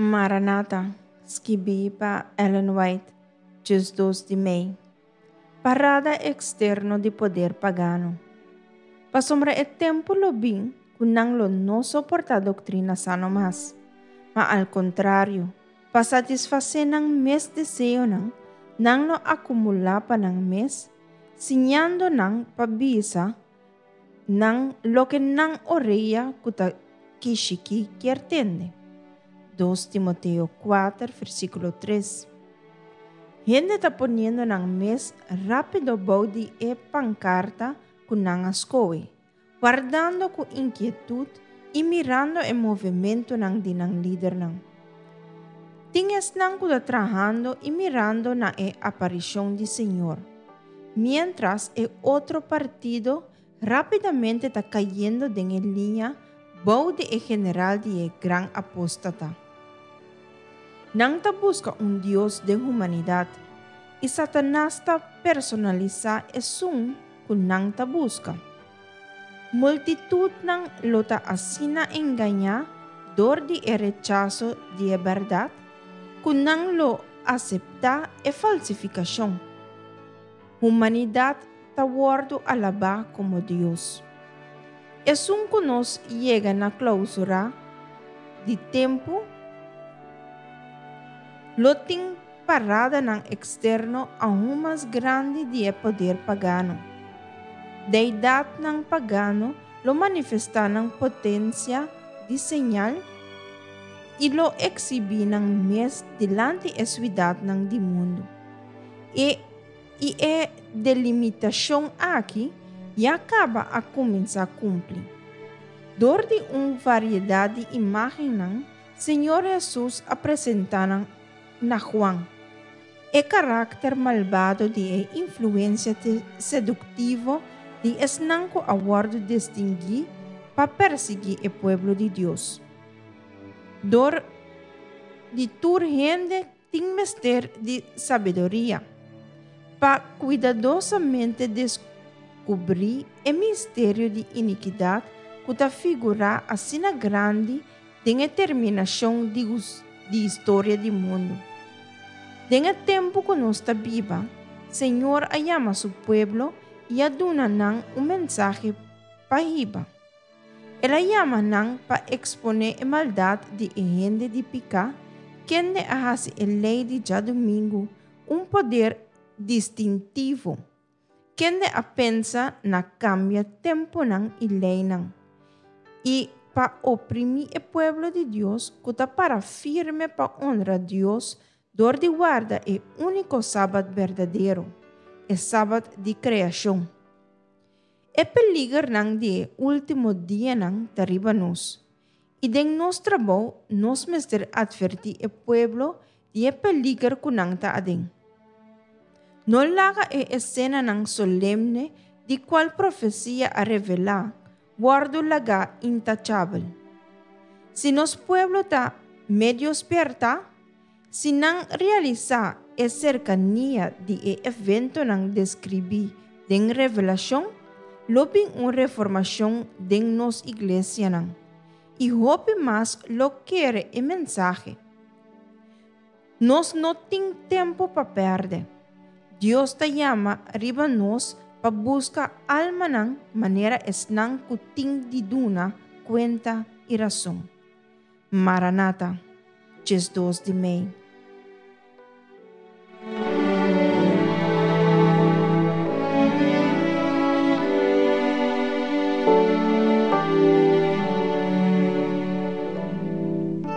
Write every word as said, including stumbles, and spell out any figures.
Maranata, skibí pa Ellen White, diesdos di mei. Parada eksterno di poder pagano. Pasobra e tempu lo bin ku nan lo no soportá doktrina sano mas, ma al kontrario, pa satisfasé nan mes deseonan, nan lo akumulá pa nan mes, siñadónan pa bisa nan loke nan orea ku ta kishikí kier tende. dos Timoteo kuater, versíkulo tres. Hende ta poniendo nan mes rápido bou di e pankarta ku nan a skohe, wardando ku inkietut i mirando e movementunan di nan lidernan. Tin esnan ku ta trahando i mirando na e aparishon di Señor, miéntras e otro partido rápidamente ta kayendo den e liña bou di e general di e gran apóstata. Nan ta buska un dios den humanidat, i Satanas ta personalisá esun ku nan ta buska. Multitutnan lo ta asina engañá dor di e rechaso di e bèrdat, ku nan lo aseptá e falsifikashon. Humanidat ta wòrdu alabá komo Dios. Esun ku nos yega na klousura di tempu, lo tin paradanan eksterno aun mas grandi di e poder pagano. Deidatnan pagano lo manifestá nan potensia di señal i lo eksibí nan mes dilanti e siudatnan di mundu. E i e delimitashon aki ya kaba a kuminsá kumpli. Dor di un variedat di imágennan, Señor Hesus a presentá nan na Juan. E karakter malbado di e influensia seduktivo di esnan ku a wòrdu distinguí pa persiguí e pueblo di Dios. Dor di tur hende tin mester di sabiduria pa kuidadosamente deskubrí e misterio di inikidat ku ta figurá asina grandi den e terminashon di di historia di mundu. Den e tempu ku nos ta biba, Señor a yama su pueblo i a duna nan un mensahe pa hiba. El a yama nan pa eksponé e maldat di e hende di piká, kende a hasi e lei di djadumingu un poder distintivo, kende a pensa na kambia tempunan i leinan, i pa oprimí e pueblo di Dios ku ta para firme pa honra Dios dor di warda e úniko sabat berdadero, e sabat di kreashon. E peligernan di e último dianan ta riba nos, i den nos trabou nos mester atvertí e pueblo di e peliger ku nan ta aden. No laga e esenanan solemne di kual profesia a revelá wòrdu lagá intachabel. Si nos pueblo ta medio spièrta, si nan realisá e serkania di e eventonan deskribí den Revelashon, lo bin un reformashon den nos iglesianan, i hopi mas lo kere e mensahe. Nos no tin tempu pa pèrdè. Dios ta yama riba nos pa buska almanan manera esnan ku tin di duna kuenta i rason. Maranata, diesdos di mei.